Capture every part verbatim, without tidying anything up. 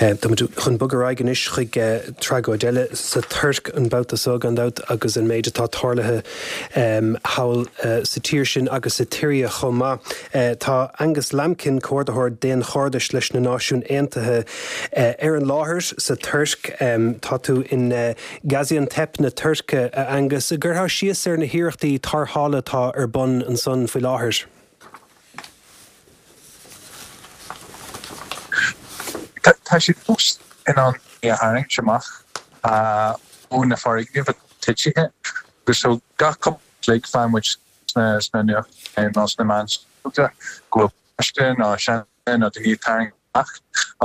Tá muid chun bogadh ar aghaidh anois chuig tragóid eile sa Tuirc an babhta seo gan dabht agus an méid atá tarlaithe thall sa tír sin agus sa tSiria chomh maith. Tá Angus Lambkin, Comhordaitheoir Daonchairdis leis na Náisiúin Aontaithe, ar an láthair sa Tuirc. Tá tú in Gaziantep na Tuirce, a Angus. An gcuirfeá síos ar na hiarrachtaí tarrthála atá ar bun ansan faoi láthair? Tá siad fós in ann daoine a tharraingt amach ó na foirgnimh atá titithe agus so gach cúpla cloig faigheann muid sna nuachtáin nó sna meáin shóisialta go bhfuil páiste nó seanduine nó daoine ag tarraingt amach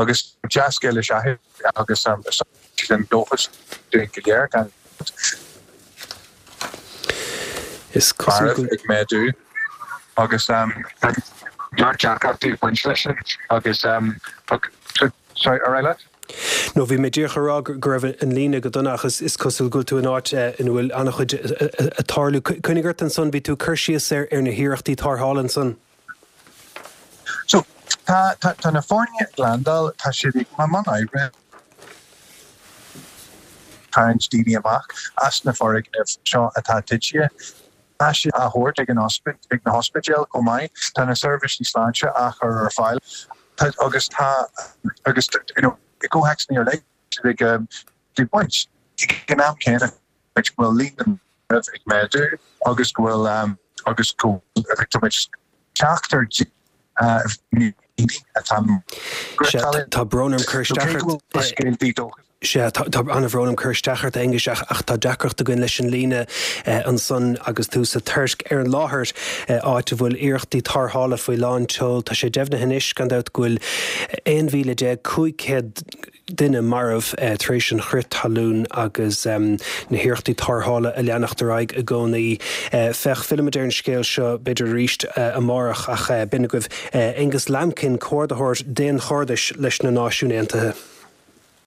agus dea-scéal is ea é agus is sin dóchas dúinn go léir gan dabht. Is cosúil go. marbh ag méadú agus tá neart deacrachtaí ag baint leis sin agus sorry, ar aghaidh leat. No, bhí mé díreach a rá go raibh an líne go dona ach is cosúil go bhfuil tú in áit ina bhfuil an-chuid ag tarlú. Coinnigh ort ansan, bhí tú ag cur síos ar na hiarrachtaí tarrthála ansan. So, tá, tá, tá na foirne ag landáil, tá siad i mbun oibre. tarraingt daoine amach as na foirgnimh seo atá titithe. Tá siad á thabhairt ag an ag na hospidéil chomh maith. Tá na seirbhísí sláinte á chur ar fáil agus tá agus you know i gcomhthéacsanna ar leith ag ag baint. Ag an am céanna go bhfuil líon na marbh ag méadú agus go bhfuil agus go bhfuil tá muid teacht ar daoine atá Sea, tá brón orm cur isteach ort. Sea, tá an-bhrón orm cur isteach ort, a Aonghuis, ach tá deacracht againn leis an líne ansan agus tú sa Tuirc ar an láthair, áit a bhfuil iarrachtaí tarrthála faoi lán tseoil. Tá sé deimhnithe anois, gan dabht, go bhfuil aon mhíle déag cúig chéad duine marbh tar éis an chrith talún agus na hiarrachtaí tarrthála ag leanacht ar aghaidh i gcónaí. Féach, fillfimid ar an scéal seo b'fhéidir arís amárach ach b'in agaibh Aonghus Lambkin, Comhordaitheoir Daonchairdis leis na Náisiúin Aontaithe.